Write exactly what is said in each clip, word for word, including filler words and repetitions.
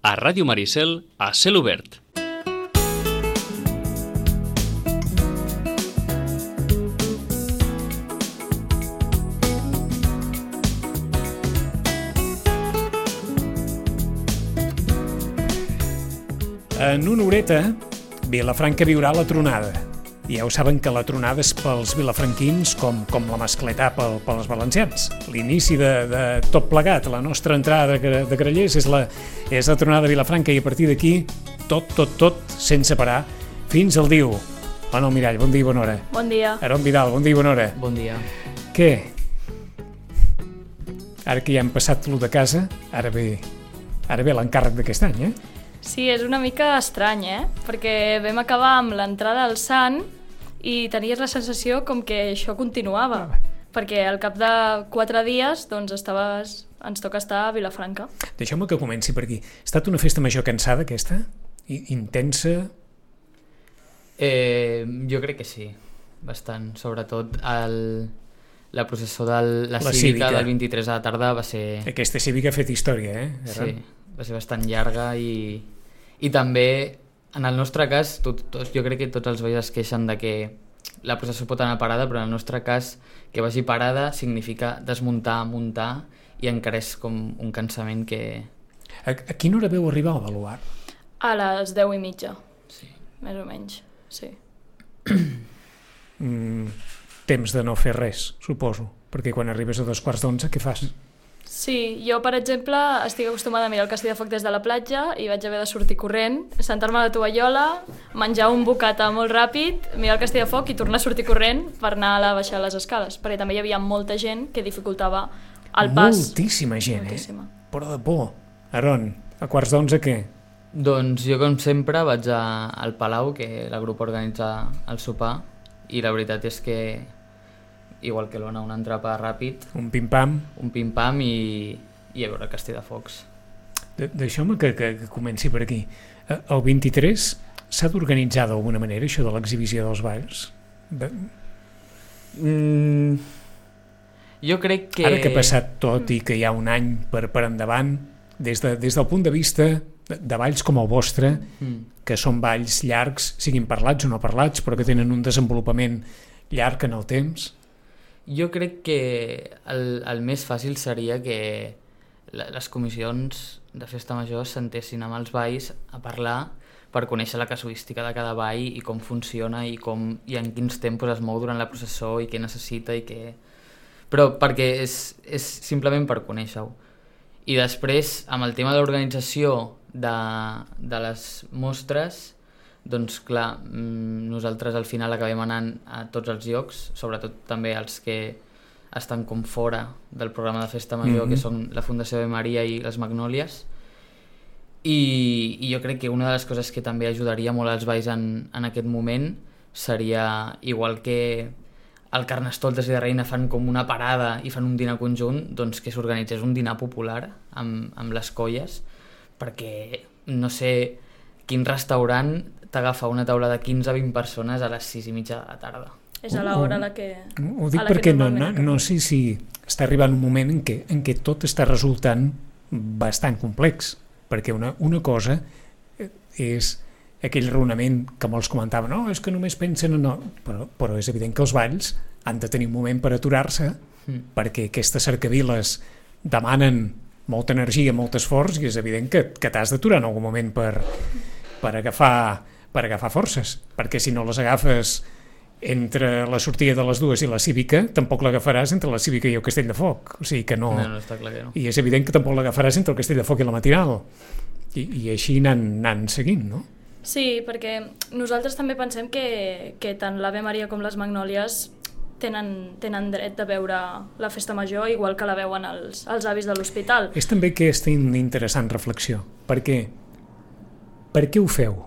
a Ràdio Maricel a cel obert. En una horeta, Vilafranca viurà la tronada. Ja ho saben que la tronada és pels vilafranquins com, com la mascletà pel, pels valencians. L'inici de, de tot plegat, la nostra entrada de, de Grallers és la, és la tronada de Vilafranca i a partir d'aquí tot, tot, tot, sense parar, fins al diu. Anna Almirall, bon dia i bona hora. Bon dia. Aron Vidal, bon dia i bona hora. Bon dia. Què? Ara que ja hem passat lo de casa, ara ve, ara ve l'encàrrec d'aquest any, eh? Sí, és una mica estrany, eh? Perquè vam acabar amb l'entrada al Sant i tenies la sensació com que això continuava. Ah, perquè al cap de quatre dies doncs estaves, ens toca estar a Vilafranca. Deixeu-me que comenci per aquí. Ha estat una festa major cansada, aquesta? I, intensa? Eh, jo crec que sí, bastant. Sobretot el, la processó de la, la cívica, cívica del vint-i-tres a la tarda va ser... Aquesta cívica ha fet història, eh? Sí, va ser bastant llarga i, i també, en el nostre cas, tot, tot, jo crec que tots els veïns es queixen de que la processó pot anar parada, però en el nostre cas que vagi parada significa desmuntar, muntar i encara és com un cansament que... A, a quina hora veu arribar al baluart? A les deu i mitja, sí. Més o menys, sí. mm, temps de no fer res, suposo, perquè quan arribes a dos quarts d'onze, què fas? Sí, jo, per exemple, estic acostumada a mirar el Castell de Foc des de la platja i vaig haver de sortir corrent, sentar-me a la tovallola, menjar un bocata molt ràpid, mirar el Castell de Foc i tornar a sortir corrent per anar a la baixar les escales, perquè també hi havia molta gent que dificultava el pas. Moltíssima gent, Moltíssima. eh? Però de por. Aron, a quarts d'onze què? Doncs jo, com sempre, vaig a, al Palau, que la grup organitza el sopar, i la veritat és que igual que l'Ona, un entrepà ràpid, un pim-pam, un pim-pam i, i a veure el Castell de Focs. Deixeu-me que, que, que comenci per aquí. El vint-i-tres s'ha d'organitzar d'alguna manera això de l'exhibició dels balls? De... Mm, jo crec que... Ara que ha passat tot i que hi ha un any per, per endavant, des, de, des del punt de vista de, de balls com el vostre, mm. que són balls llargs, siguin parlats o no parlats, però que tenen un desenvolupament llarg en el temps... Jo crec que el, el més fàcil seria que les comissions de festa major s'entessin amb els balls a parlar per conèixer la casuística de cada ball i com funciona i, com, i en quins tempos es mou durant la processó i què necessita i què... Però perquè és, és simplement per conèixer-ho. I després, amb el tema de l'organització de, de les mostres, doncs clar, nosaltres al final acabem anant a tots els llocs, sobretot també els que estan com fora del programa de festa major, mm-hmm. que són la Fundació de Maria i les Magnòlies, i, i jo crec que una de les coses que també ajudaria molt als balls en, en aquest moment seria, igual que el Carnestoltes i de Reina fan com una parada i fan un dinar conjunt, doncs que s'organitzés un dinar popular amb, amb les colles, perquè no sé quin restaurant t'agafa una taula de quinze a vint persones a les sis i mitja de la tarda. És a l'hora a la que... Ho dic perquè no, no, no sé si està arribant un moment en què, en què tot està resultant bastant complex, perquè una, una cosa és aquell raonament que molts comentaven, no, és que només pensen en... No. Però, però és evident que els balls han de tenir un moment per aturar-se, mm. perquè aquestes cercaviles demanen molta energia, molt esforç, i és evident que, que t'has d'aturar en algun moment per, per agafar... per agafar forces, perquè si no les agafes entre la sortida de les dues i la cívica, tampoc l'agafaràs entre la cívica i el Castell de Foc, o sigui que no... No, no, està clar que no. I és evident que tampoc l'agafaràs entre el Castell de Foc i la Matinal, i, i així anant, anant seguint, no? Sí, perquè nosaltres també pensem que, que tant l'Ave Maria com les Magnòlies tenen, tenen dret de veure la festa major igual que la veuen els, els avis de l'hospital. És també aquesta interessant reflexió, perquè per què ho feu?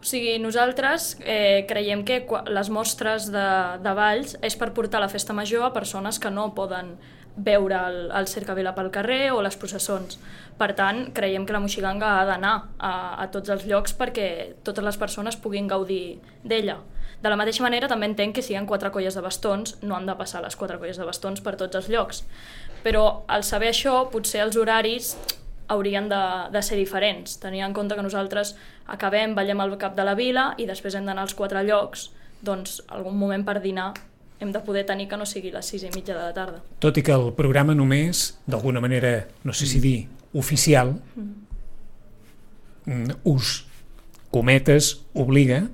O sigui, nosaltres eh, creiem que les mostres de, de balls és per portar la festa major a persones que no poden veure el, el cercavila pel carrer o les processons. Per tant, creiem que la Moixiganga ha d'anar a, a tots els llocs perquè totes les persones puguin gaudir d'ella. De la mateixa manera, també entenc que si hi ha quatre colles de bastons, no han de passar les quatre colles de bastons per tots els llocs. Però al saber això, potser els horaris haurien de, de ser diferents, tenint en compte que nosaltres acabem, ballem al cap de la vila i després hem d'anar als quatre llocs, doncs algun moment per dinar hem de poder tenir que no sigui les sis i mitja de la tarda. Tot i que el programa només, d'alguna manera, no sé si dir, oficial, mm. us, cometes, obliga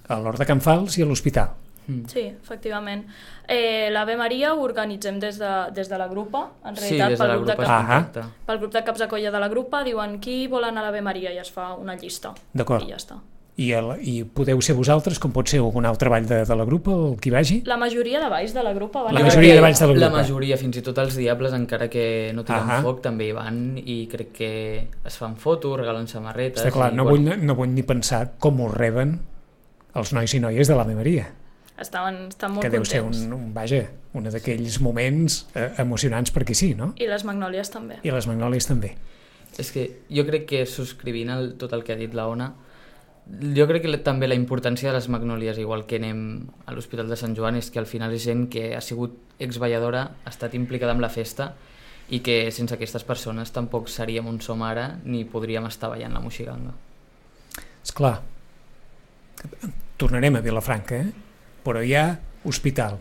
a l'Hort de Can Fals i a l'Hospital. Mm. Sí, efectivament. Eh, L'Ave Maria ho organitzem des de, des de la grupa, en realitat, sí, des de pel, la grup de grupa cap, pel grup de caps de colla de la grupa, diuen qui vol anar a l'Ave Maria i es fa una llista. D'acord. I ja està. I, el, I podeu ser vosaltres, com pot ser algun altre ball de, de la grupa, el qui vagi? La majoria de balls de la grupa van la majoria de balls de la grupa. La majoria, fins i tot els diables, encara que no tenen ah foc, també hi van i crec que es fan fotos, regalen samarretes... Està clar, i, no, bueno. vull, no vull ni pensar com ho reben els nois i noies de l'Ave Maria. Estaven, estan molt que deu contents. ser un, un, vaja, un d'aquells moments eh, emocionants perquè sí, no? I les magnòlies també. I les magnòlies també. És que jo crec que subscrivint el, tot el que ha dit la Ona, jo crec que també la importància de les magnòlies, igual que anem a l'Hospital de Sant Joan, és que al final és gent que ha sigut exballadora, ha estat implicada en la festa i que sense aquestes persones tampoc seríem on som ara ni podríem estar ballant la moixiganga. Esclar, tornarem a Vilafranca, eh? Però hi ha Hospital,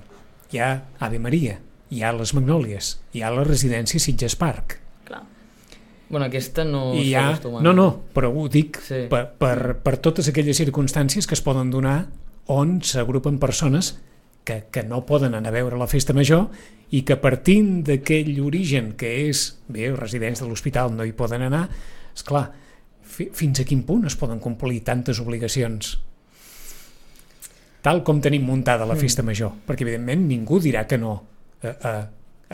hi ha Ave Maria, hi ha les Magnòlies, hi ha la residència Sitges Park. Clar. Bueno, aquesta no I hi ha... s'acostuma. No, no, però ho dic sí. per, per, per totes aquelles circumstàncies que es poden donar on s'agrupen persones que, que no poden anar a veure la festa major i que partint d'aquell origen que és, bé, residents de l'hospital no hi poden anar, esclar, fi, fins a quin punt es poden complir tantes obligacions tal com tenim muntada la festa major, perquè evidentment ningú dirà que no a, a,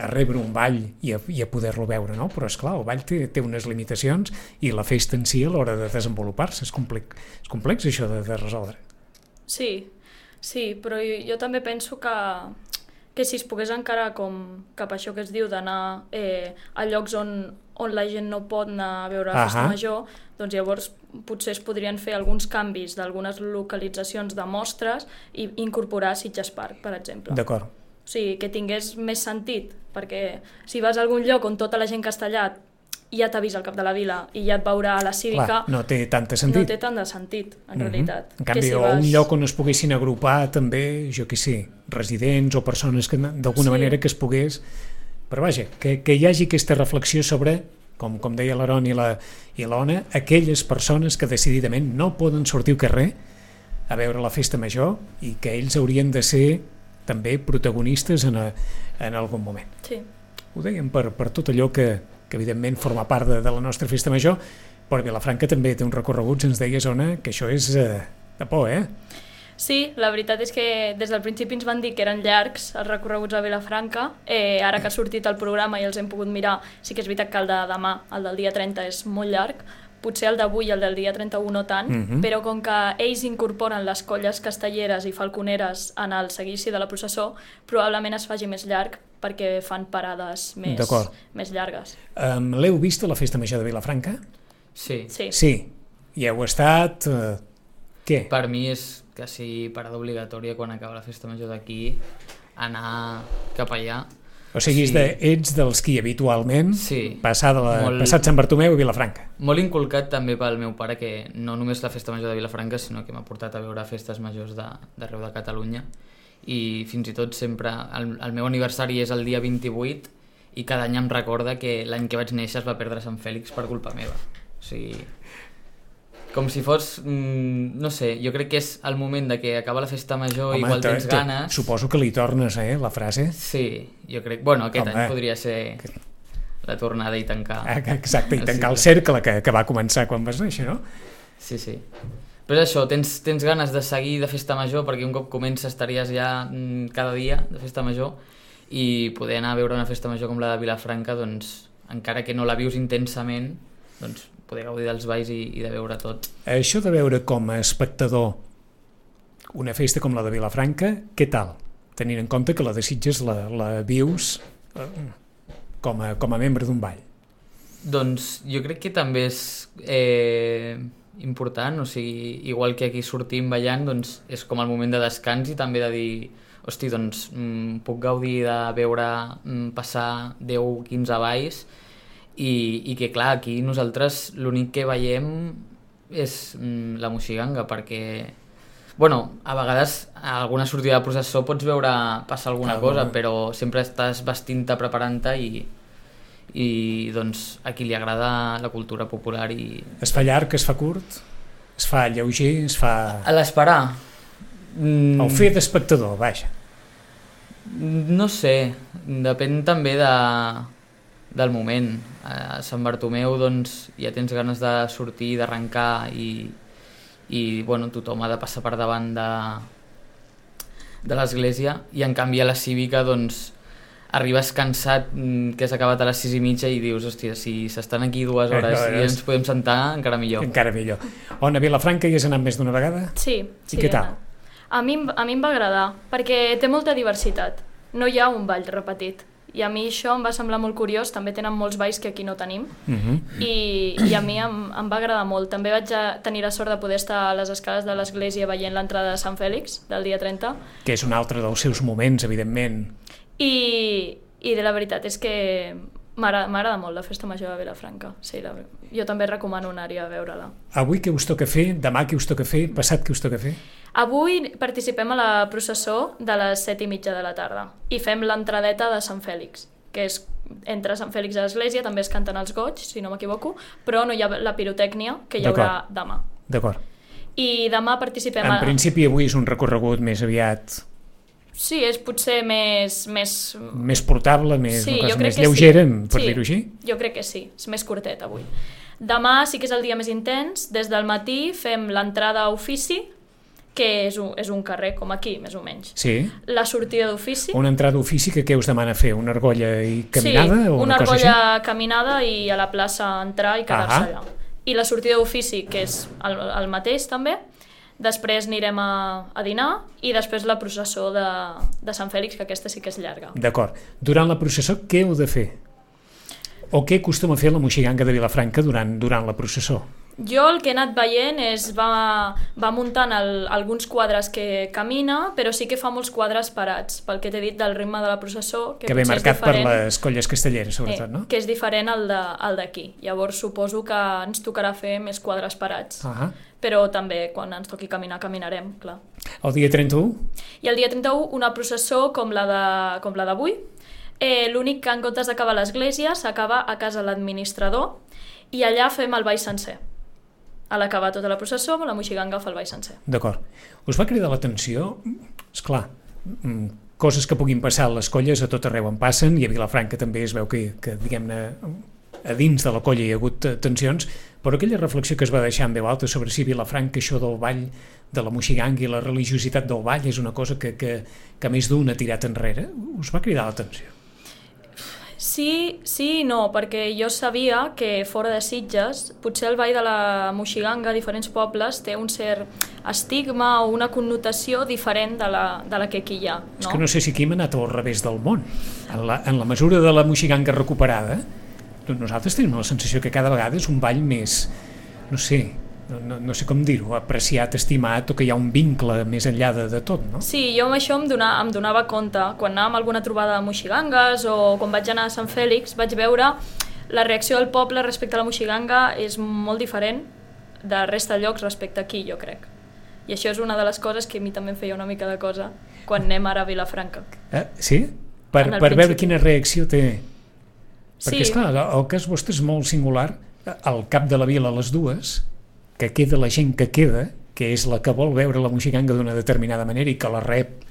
a rebre un ball i a, i a poder-lo veure, no? Però esclar, el ball té, té unes limitacions i la festa en si a l'hora de desenvolupar-se és complex, és complex això de, de resoldre. Sí, sí, però jo, jo també penso que, que si es pogués encarar com cap a això que es diu d'anar eh, a llocs on, on la gent no pot anar a veure la festa Ahà. major, doncs llavors potser es podrien fer alguns canvis d'algunes localitzacions de mostres i incorporar Sitges Park, per exemple. D'acord. O sigui, que tingués més sentit, perquè si vas a algun lloc on tota la gent que està allà ja t'ha vist al cap de la vila i ja et veurà a la cívica... Clar, no té tant de sentit. No té tant de sentit, en mm-hmm. realitat. En canvi, que si o vas... un lloc on es poguessin agrupar també, jo què sé, residents o persones que d'alguna Sí. manera que es pogués... Però vaja, que, que hi hagi aquesta reflexió sobre, com, com deia l'Aron i la, i l'Ona, aquelles persones que decididament no poden sortir al carrer a veure la festa major i que ells haurien de ser també protagonistes en, a, en algun moment. Sí. Ho dèiem per, per tot allò que, que evidentment forma part de, de la nostra festa major, però Vilafranca també té un recorregut, ens deies, Ona, que això és eh, de por, eh? Sí, la veritat és que des del principi ens van dir que eren llargs els recorreguts a Vilafranca. Eh, ara que ha sortit el programa i els hem pogut mirar, sí que és veritat que el de demà, el del dia trenta, és molt llarg. Potser el d'avui i el del dia trenta-u no tant, Mhm. però com que ells incorporen les colles castelleres i falconeres en el seguici de la processó, probablement es faci més llarg perquè fan parades més, D'acord. més llargues. Um, L'heu vist a la festa major de Vilafranca? Sí. Sí. Sí. I heu estat... Eh, què? Per mi és quasi parada obligatòria quan acaba la festa major d'aquí anar cap allà. O sigui, Sí. de, ets dels qui habitualment Sí. passar de la, Molt- passat Sant Bartomeu i Vilafranca. Molt inculcat també pel meu pare, que no només la festa major de Vilafranca, sinó que m'ha portat a veure festes majors de- d'arreu de Catalunya, i fins i tot sempre el, el meu aniversari és el dia vint-i-vuit i cada any em recorda que l'any que vaig néixer es va perdre Sant Fèlix per culpa meva. O sigui, com si fos, mm, no sé, jo crec que és el moment de que acaba la festa major, Home, igual te- tens te- ganes. Suposo que li tornes, eh, la frase. Sí, jo crec... Bueno, aquest Home. any podria ser la tornada i tancar. Ah, Exacte, i el tancar el cicle. cercle que, que va començar quan vas néixer, no? Sí, sí. Però és això, tens, tens ganes de seguir de festa major, perquè un cop comença estaries ja mm, cada dia de festa major, i poder anar a veure una festa major com la de Vilafranca, doncs, encara que no la vius intensament, doncs poder gaudir dels balls i, i de veure tot. Això de veure com a espectador una festa com la de Vilafranca, què tal? Tenint en compte que la de Sitges la, la vius eh, com, a, com a membre d'un ball. Doncs jo crec que també és eh, important, o sigui, igual que aquí sortim ballant, doncs és com el moment de descans i també de dir, hosti, doncs mm, puc gaudir de veure mm, passar deu o quinze balls i, i que clar, aquí nosaltres l'únic que veiem és mm, la moixiganga, perquè bueno, a vegades a alguna sortida de processó pots veure passar alguna Clar, cosa, no. però sempre estàs vestint-te, preparant-te i, i doncs a qui li agrada la cultura popular i... Es fa llarg, es fa curt, es fa lleuger, es fa... A l'esperar mm, El fer d'espectador, vaja. no sé, depèn també de, del moment. A Sant Bartomeu doncs ja tens ganes de sortir, d'arrencar i i bueno, tothom ha de passar per davant de, de l'església, i en canvi a la cívica doncs arribes cansat, que has acabat a les sis i mitja i dius, hòstia, si s'estan aquí dues hores Eh, no, i és- ens podem sentar, encara millor. Encara millor. On, a Vilafranca hi has anat més d'una vegada? Sí, sí. I què tal? A mi, em- a mi em va agradar, perquè té molta diversitat. No hi ha un ball repetit. I a mi això em va semblar molt curiós, també tenen molts balls que aquí no tenim, Uh -huh. i, i a mi em, em va agradar molt. També vaig a tenir la sort de poder estar a les escales de l'església veient l'entrada de Sant Fèlix, del dia trenta, Que és un altre dels seus moments, evidentment. i, i de la veritat és que m'agrada m'agrada molt la Festa Major de Vilafranca. Sí, la, jo també recomano anar-hi a veure-la. Avui què us toca fer? Demà què us toca fer? Passat què us toca fer? Avui participem a la processó de les set i mitja de la tarda i fem l'entradeta de Sant Fèlix, que és entre Sant Fèlix i l'església, també es canten els goig, si no m'equivoco, però no hi ha la pirotècnia, que hi haurà demà. D'acord. I demà participem... En a... principi avui és un recorregut més aviat Sí, és potser més... més... més portable, més, Sí, una jo cosa crec més que lleugera, sí. per Sí, dir-ho així. Jo crec que sí, és més curtet avui. Demà sí que és el dia més intens, des del matí fem l'entrada a ofici, que és un, és un carrer com aquí, més o menys. Sí. La sortida d'ofici... Una entrada d'ofici que què us demana fer? Una argolla i caminada? Sí, o una, una cosa argolla així? caminada i a la plaça entrar i quedar-se Ahà. allà. I la sortida d'ofici, que és el, el mateix també, després anirem a, a dinar i després la processó de, de Sant Fèlix, que aquesta sí que és llarga. D'acord. Durant la processó què heu de fer? O què acostuma a fer la moixiganga de Vilafranca durant, durant la processó? Jo el que he anat veient és va, va muntant el, alguns quadres que camina, però sí que fa molts quadres parats, pel que t'he dit del ritme de la processó, que, Que ve potser és marcat per diferent, les colles castelleres, sobretot, eh, no? que és diferent al de- al d'aquí. Llavors suposo que ens tocarà fer més quadres parats, Ah, però també quan ens toqui caminar, caminarem, clar. el dia trenta-u? I el dia trenta-u una processó com la de- com la d'avui. Eh, L'únic que en comptes d'acabar a l'església s'acaba a casa l'administrador i allà fem el ball sencer. A l'acabar tota la processó, la moixiganga fa el ball sencer. D'acord. Us va cridar l'atenció? Esclar, mm, coses que puguin passar a les colles a tot arreu en passen, i a Vilafranca també es veu que, que diguem-ne, a dins de la colla hi ha hagut eh, tensions, però aquella reflexió que es va deixar en veu alta sobre si Vilafranca, això del ball de la moixiganga i la religiositat del ball és una cosa que, que, que més d'un ha tirat enrere, us va cridar l'atenció? Sí, sí i no, perquè jo sabia que fora de Sitges potser el ball de la moixiganga a diferents pobles té un cert estigma o una connotació diferent de la, de la que aquí hi ha. No? És que no sé si aquí hem anat al revés del món. En la, en la mesura de la moixiganga recuperada, nosaltres tenim la sensació que cada vegada és un ball més, no sé, no, no, no sé com dir-ho, apreciat, estimat, o que hi ha un vincle més enllà de, de tot, no? Sí, jo amb això em, donava, em donava compte. Quan anàvem a alguna trobada de moixigangues o quan vaig anar a Sant Fèlix vaig veure la reacció del poble respecte a la moixiganga és molt diferent de resta de llocs respecte aquí, jo crec. I això és una de les coses que a mi també em feia una mica de cosa quan anem ara a Vilafranca. Eh, sí? Per, En el per veure principi. quina reacció té. Perquè, Sí. esclar, el cas vostre és molt singular. Al cap de la vila, a les dues, que queda la gent que queda, que és la que vol veure la moixiganga d'una determinada manera i que la rep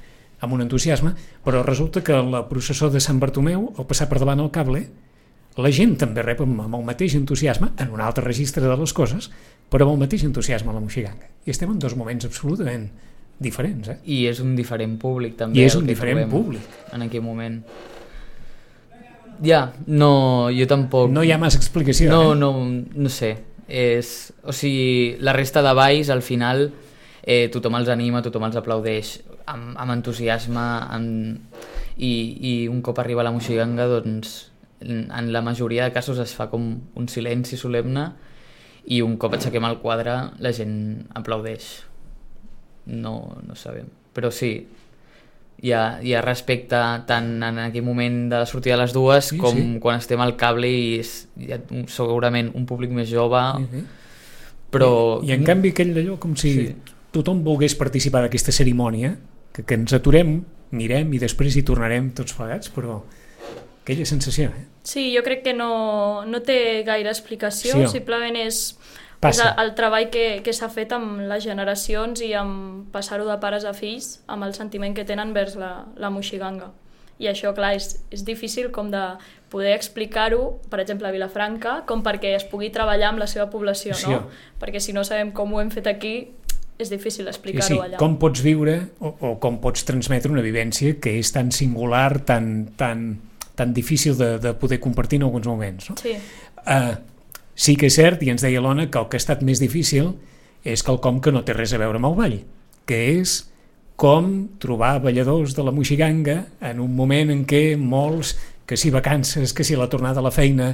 amb un entusiasme, però resulta que la processó de Sant Bartomeu, al passar per davant el cable, la gent també rep amb, amb el mateix entusiasme, en un altre registre de les coses, però amb el mateix entusiasme la moixiganga. I estem en dos moments absolutament diferents, eh? I és un diferent públic també. I és el un que diferent trobem públic. En aquell moment. Ja, no, jo tampoc... No hi ha massa explicació, No, eh? no, no sé. És, o sigui, la resta de balls, al final, eh, tothom els anima, tothom els aplaudeix amb, amb entusiasme, amb... I, i un cop arriba la moixiganga, doncs, en, en la majoria de casos es fa com un silenci solemne i un cop aixequem el quadre la gent aplaudeix. No, no sabem. Però sí, hi ha, hi ha respecte tant en aquell moment de la sortida de les dues sí, com sí. quan estem al cable i és, hi ha un, segurament un públic més jove, Sí, sí. però... I, I en canvi aquell d'allò com si Sí. tothom volgués participar d'aquesta cerimònia, que, que ens aturem, mirem i després hi tornarem tots plegats, però aquella sensació, eh? Sí, jo crec que no, no té gaire explicació, Sí, oh. simplement és, és Passa. el treball que, que s'ha fet amb les generacions i amb passar-ho de pares a fills, amb el sentiment que tenen vers la, la moixiganga. I això, clar, és, és difícil com de poder explicar-ho, per exemple, a Vilafranca, com perquè es pugui treballar amb la seva població, Sí, no? oh. Perquè si no sabem com ho hem fet aquí, és difícil Sí, explicar-ho sí. allà. Com pots viure o, o com pots transmetre una vivència que és tan singular, tan, tan, tan difícil de, de poder compartir en alguns moments, no? Sí, Uh, sí que és cert, i ens deia l'Ona, que el que ha estat més difícil és quelcom que no té res a veure amb el ball, que és com trobar balladors de la moixiganga en un moment en què molts, que si vacances, que si la tornada a la feina,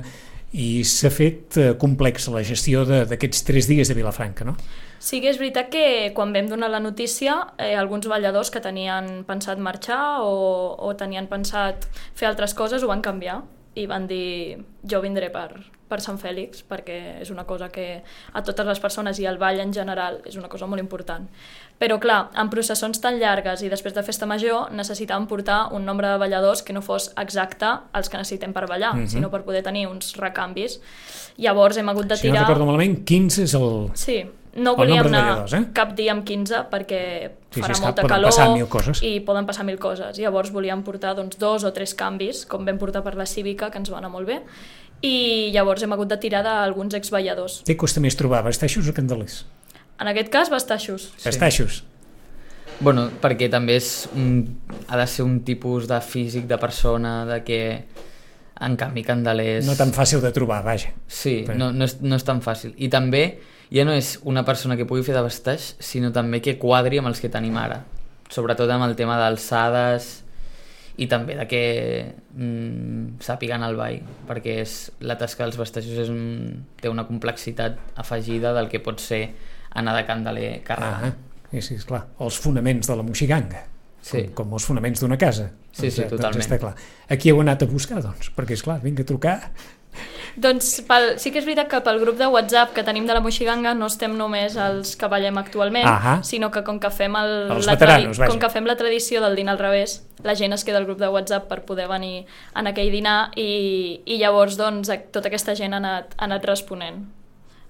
i s'ha fet uh, complex la gestió de- d'aquests tres dies de Vilafranca, no? Sí que és veritat que quan vam donar la notícia, eh, alguns balladors que tenien pensat marxar o, o tenien pensat fer altres coses ho van canviar i van dir jo vindré per, per Sant Fèlix perquè és una cosa que a totes les persones i al ball en general és una cosa molt important. Però clar, en processons tan llargues i després de festa major necessitàvem portar un nombre de balladors que no fos exacte els que necessitem per ballar, Mhm. sinó per poder tenir uns recanvis. Llavors hem hagut de Si no tirar... recordo malament, quinze és el... Sí, no El volíem nombre de anar balladors, eh? cap dia amb quinze perquè Sí, sí, farà és que molta poden calor passar mil coses. i poden passar mil coses. Llavors volíem portar doncs, dos o tres canvis, com vam portar per la Cívica, que ens va anar molt bé, i llavors hem hagut de tirar d'alguns exballadors. Què costa més trobar, bastaixos o candelers? En aquest cas, bastaixos. Sí. Bastaixos. Bueno, perquè també és un, ha de ser un tipus de físic de persona de que en canvi Candelers... No tan fàcil de trobar, vaja. Sí, Però- no, no, és, no és tan fàcil. I també ja no és una persona que pugui fer de bastaix, sinó també que quadri amb els que tenim ara. Sobretot amb el tema d'alçades i també de que mm, sàpiguen el ball, perquè és, la tasca dels bastaixos és un, té una complexitat afegida del que pot ser anar de candeler carregant. Ah, sí, sí, esclar. Els fonaments de la moixiganga. Sí. Com, com els fonaments d'una casa. Sí, sí, eh, totalment. Doncs està clar. Aquí heu anat a buscar, doncs, perquè, esclar, vinga a trucar. Doncs pel, sí que és veritat que pel grup de WhatsApp que tenim de la Moixiganga no estem només els que ballem actualment, Ahà. sinó que com que fem el, Els la, veteranos, vaja. com que fem la tradició del dinar al revés, la gent es queda al grup de WhatsApp per poder venir en aquell dinar i, i llavors doncs, tota aquesta gent ha anat, ha anat responent.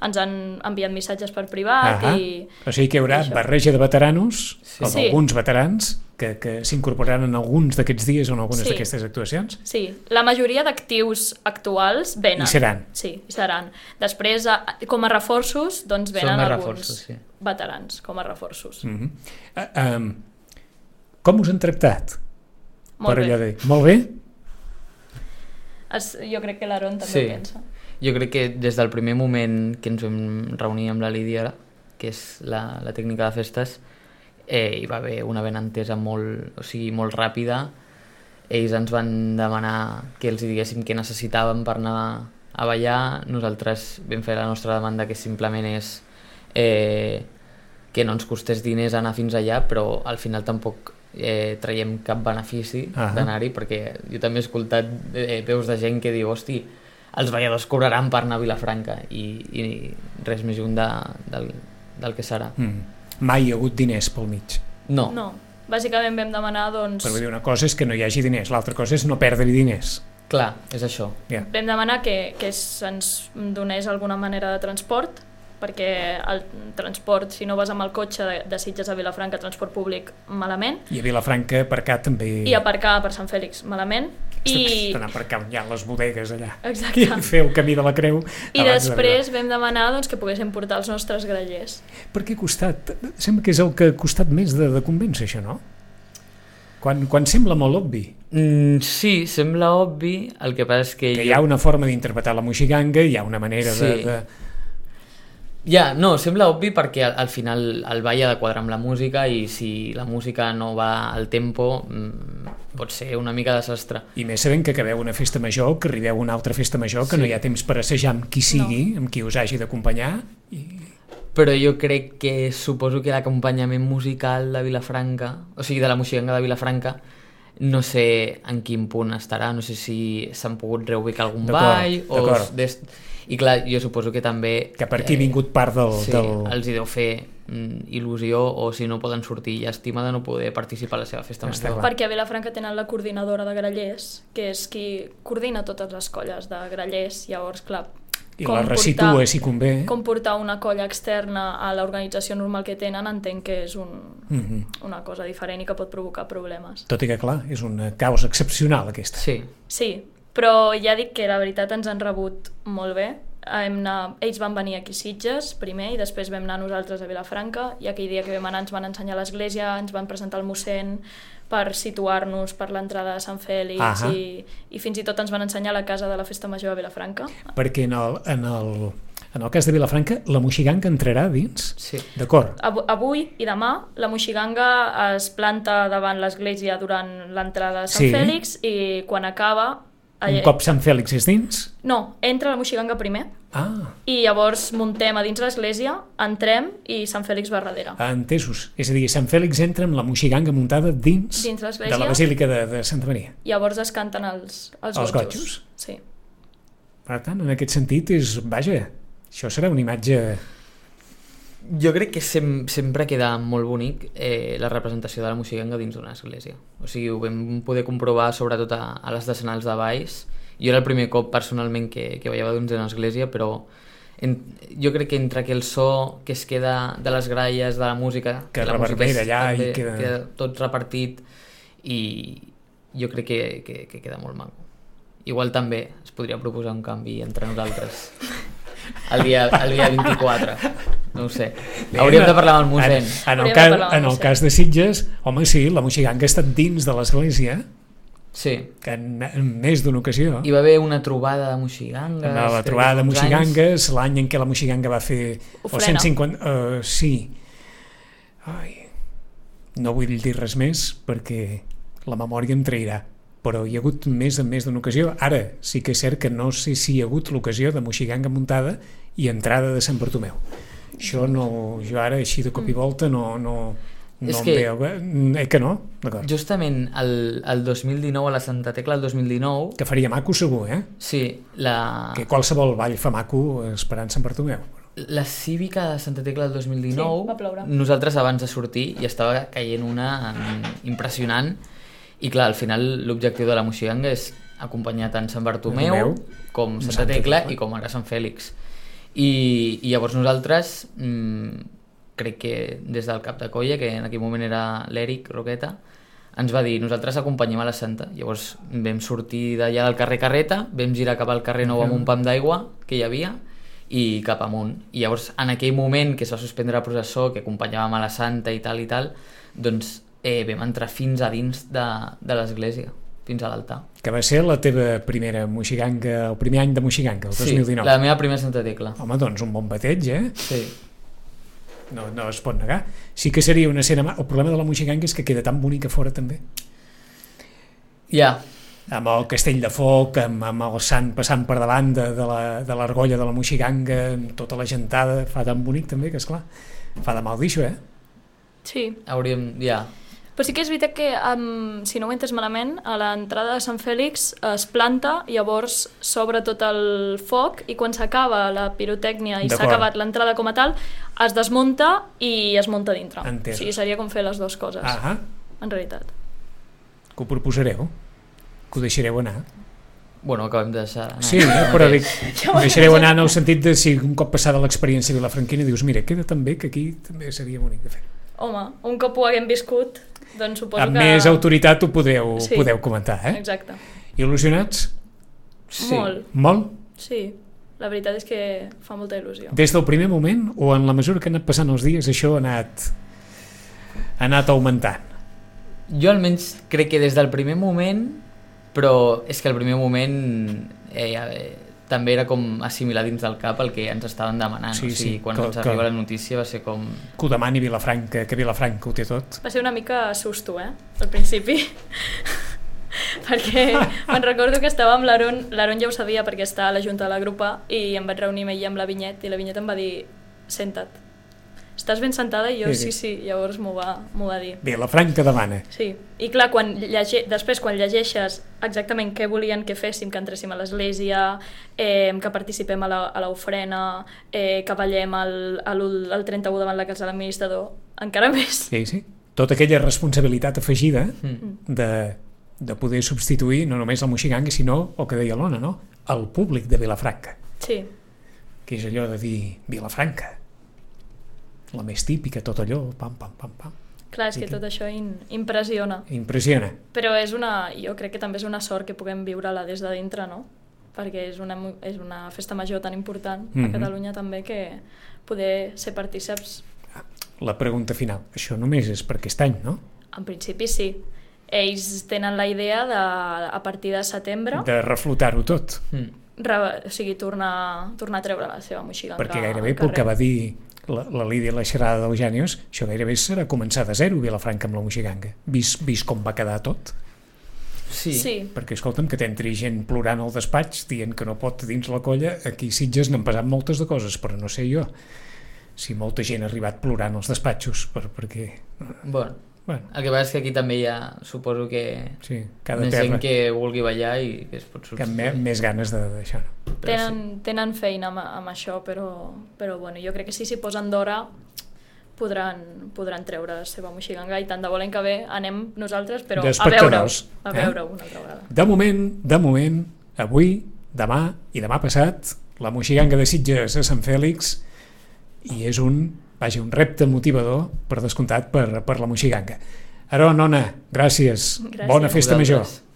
Ens han enviat missatges per privat Ahà. i... O sigui que hi haurà i això. barreja de veteranos, Sí. o Sí. d'alguns veterans, que, que s'incorporaran en alguns d'aquests dies o en algunes Sí. d'aquestes actuacions. Sí, la majoria d'actius actuals venen. Hi seran. Sí, hi seran. Després, a- com a reforços, doncs Són venen més alguns reforços, sí. veterans com a reforços. Mm -hmm. uh, um, com us han tractat? Molt per bé. allò de... Molt bé? Es, jo crec que l'Aaron també Sí. ho pensa. Jo crec que des del primer moment que ens vam reunir amb la Lídia, que és la, la tècnica de festes, eh, hi va haver una benentesa molt, o sigui, molt ràpida. Ells ens van demanar que els hi diguéssim què necessitàvem per anar a ballar. Nosaltres vam fer la nostra demanda, que simplement és eh, que no ens costés diners anar fins allà, però al final tampoc eh, traiem cap benefici Ah. d'anar-hi, perquè jo també he escoltat eh, veus de gent que diu, hosti, els balladors cobraran per anar a Vilafranca, i, i res més lluny de, del, del que serà. Mm. Mai hi ha hagut diners pel mig. No, No, bàsicament vam demanar, doncs... Però vull dir, una cosa és que no hi hagi diners, l'altra cosa és no perdre diners. clar, és això. Ja. Vam demanar que, que se'ns donés alguna manera de transport, perquè el transport, si no vas amb el cotxe de, de Sitges a Vilafranca, transport públic, malament, I a Vilafranca aparcar també... i aparcar per Sant Fèlix, malament, i... Estan aparcant ja les bodegues allà. Exacte. I fer el camí de la creu. I abans després vam demanar doncs, que poguéssim portar els nostres grallers. Per què ha costat? Sembla que és el que ha costat més de, de convèncer, això, no? Quan, quan sembla molt obvi. Mm, sí, sembla obvi, el que passa és que... Que jo- hi ha una forma d'interpretar la moixiganga, hi ha una manera de... Sí. de... Ja, no, sembla obvi perquè al, al final el ball ha de quadrar amb la música, i si la música no va al tempo mm, pot ser una mica desastre. I més sabent que acabeu una festa major, que arribeu a una altra festa major, que Sí. no hi ha temps per assajar amb qui sigui, no. amb qui us hagi d'acompanyar. I... però jo crec que suposo que l'acompanyament musical de Vilafranca, o sigui, de la Moixiganga de Vilafranca, no sé en quin punt estarà, no sé si s'han pogut reubicar algun ball o... Des... I clar, jo suposo que també... Que per aquí ha vingut part del... Sí, del... els hi deu fer mm, il·lusió, o si no poden sortir llàstima de no poder participar a la seva festa major. Perquè a Vilafranca tenen la coordinadora de grallers, que és qui coordina totes les colles de grallers, llavors, clar... I la resitua, si convé. Com portar una colla externa a l'organització normal que tenen, entenc que és un, mm-hmm. una cosa diferent i que pot provocar problemes. Tot i que, clar, és una causa excepcional, aquesta. Sí. Sí, però ja dic que la veritat ens han rebut molt bé. Hem anar, ells van venir aquí a Sitges primer i després vam anar nosaltres a Vilafranca, i aquell dia que vam anar ens van ensenyar l'església, ens van presentar el mossèn per situar-nos per l'entrada de Sant Fèlix i, i fins i tot ens van ensenyar la casa de la Festa Major a Vilafranca. Perquè en el, en el, en el cas de Vilafranca la Moixiganga entrarà dins? Sí. D'acord. Avui i demà la Moixiganga es planta davant l'església durant l'entrada de Sant sí. Fèlix i quan acaba... Un cop Sant Fèlix és dins? No, entra la Moixiganga primer ah. i llavors muntem a dins l'església, entrem i Sant Fèlix va darrere. Ah, entesos. És a dir, Sant Fèlix entra amb la Moixiganga muntada dins, dins de la Basílica de, de Santa Maria. Llavors es canten els, els, els gotxos. gotxos. Sí. Per tant, en aquest sentit, és, vaja, això serà una imatge... Jo crec que sem sempre queda molt bonic eh, la representació de la Moixiganga dins d'una església. O sigui, ho vam poder comprovar sobretot a, a les decenals de Valls. Jo era el primer cop personalment que, que ballava dins d'una església, però en, jo crec que entre que el so que es queda de les gralles, de la música... Que la reverbera allà també, i queda... queda tot repartit, i jo crec que, que, que queda molt maco. Igual també es podria proposar un canvi entre nosaltres. El dia, el dia vint-i-quatre, no ho sé. Hauríem de parlar amb el mossèn. En, en, el, cas, en el cas de Sitges, home, sí, la Moixiganga ha estat dins de l'església, sí. que en, en més d'una ocasió. Hi va haver una trobada de Moixigangues. No, la trobada de Moixigangues, l'any en què la Moixiganga va fer... Ofrena. El cent cinquanta... Uh, sí. Ai, no vull dir res més perquè la memòria em trairà. Però hi ha hagut més en més d'una ocasió. Ara sí que és cert que no sé si hi ha hagut l'ocasió de Moixiganga muntada i entrada de Sant Bartomeu. Això no, jo ara així de cop i volta no, no, no és em que, veu. Eh, que no? Justament el, el dos mil dinou, a la Santa Tecla el dos mil dinou... Que faria maco segur, eh? Sí, la... Que qualsevol ball fa maco esperant Sant Bartomeu. La cívica de Santa Tecla del dos mil dinou, sí, va ploure. Nosaltres abans de sortir hi estava caient una impressionant. I clar, al final l'objectiu de la Moixiganga és acompanyar tant Sant Bartomeu Bartomeu com Santa, Santa Tecla, Tecla i com ara Sant Fèlix. I, i llavors nosaltres, mmm, crec que des del cap de colla, que en aquell moment era l'Eric Roqueta, ens va dir, nosaltres acompanyem a la Santa. Llavors vam sortir d'allà del carrer Carreta, vam girar cap al carrer Nou amb un pam d'aigua que hi havia i cap amunt. I llavors en aquell moment que es va suspendre la processó, que acompanyàvem a la Santa i tal i tal, doncs Eh, vam entrar fins a dins de, de l'església, fins a l'altar. Que va ser la teva primera Moixiganga, el primer any de Moixiganga, el dos mil dinou. Sí, la meva primera Santa Tecla. Home, doncs un bon bateig, eh? Sí. No, no es pot negar. Sí que seria una escena... El problema de la Moixiganga és que queda tan bonica fora, també. Ja. Amb el castell de foc, amb, amb el sant passant per davant de, de l'argolla de, de la Moixiganga, amb tota la gentada, fa tan bonic també, que esclar, fa de mal dir-ho, eh? Sí. Hauríem... Ja. Però sí que és veritat que, um, si no ho entes malament, a l'entrada de Sant Fèlix es planta, llavors s'obre tot el foc i quan s'acaba la pirotècnia i s'ha acabat l'entrada com a tal, es desmunta i es munta dintre. Entesos. O sigui, seria com fer les dues coses, Ahà. en realitat. Que ho proposareu? Que ho deixareu anar? Bueno, acabem de deixar anar. Sí, eh? Però dic, ho deixareu anar en el sentit de si un cop passada l'experiència vilafranquina dius, mira, queda tan bé que aquí també seria bonic de fer. Home, un cop ho haguem viscut, doncs suposo amb que... més autoritat ho podeu, sí. podeu comentar, eh? Exacte. Il·lusionats? Sí. Molt. Molt? Sí, la veritat és que fa molta il·lusió. Des del primer moment o en la mesura que han anat passant els dies això ha anat, ha anat augmentant? Jo almenys crec que des del primer moment, però és que el primer moment eh, eh, també era com assimilar dins del cap el que ens estaven demanant. Sí, o sigui, sí, quan que, ens arriba que, la notícia va ser com... Que ho demani Vilafranca, que Vilafranca ho té tot. Va ser una mica susto, eh? Al principi. Perquè me'n recordo que estava amb l'Aaron, l'Aaron ja ho sabia perquè està a la junta de la grupa i em vaig reunir amb ell amb la Vinyet i la Vinyet em va dir, senta't, estàs ben sentada? I jo Sí, sí, sí. sí, llavors m'ho va, m'ho va dir. Vilafranca demana. Sí, i clar, quan llege... després quan llegeixes exactament què volien que féssim, que entréssim a l'església, eh, que participem a la, a l'ofrena, eh, que ballem el, el, el trenta-u davant la casa de l'administrador, encara més. Sí, sí. Tota aquella responsabilitat afegida Mm. de, de poder substituir no només el moxigangue, sinó el que deia l'Ona, no? El públic de Vilafranca, Sí, que és allò de dir Vilafranca, la més típica, tot allò, pam, pam, pam, pam. clar, és I que que- tot això in, impressiona. Impressiona. Però és una, jo crec que també és una sort que puguem viure-la des de dintre, no? Perquè és una, mu- és una festa major tan important Mhm. a Catalunya també que poder ser partíceps, La pregunta final, això només és per aquest any, no? en principi sí. Ells tenen la idea de, a partir de setembre, De reflotar-ho tot, Mm. re, o sigui, tornar, tornar a treure la seva moxiganga perquè al gairebé pel carrer. que va dir la, la Lídia a la xerrada d'Eugènios, això gairebé serà començar de zero Vilafranca amb la moxiganga, vist, vist com va quedar tot. Sí. Sí, Perquè, escolta'm, que t'entri gent plorant al despatx dient que no pot dins la colla, aquí a Sitges n'han passat moltes de coses, però no sé jo si molta gent ha arribat plorant als despatxos, per, perquè... Bueno, Bueno, el que passa és que aquí també hi ha, suposo que sí, cada més terra gent que vulgui ballar i que es pot que amb substituir. me, més ganes de d'això. No? Però tenen, tenen feina amb, amb això, però, però bueno, jo crec que si s'hi posen d'hora podran, podran treure la seva moxiganga i tant de bo l'any que ve anem nosaltres, però a veure-ho, D'espectadors, a eh? veure-ho una altra vegada. De moment, de moment, avui, demà i demà passat, la moxiganga de Sitges a Sant Fèlix, i és un, vaja, un repte motivador, per descomptat, per, per la moxiganga. Aron, Ona, gràcies. Gràcies. Bona festa major. Vosaltres.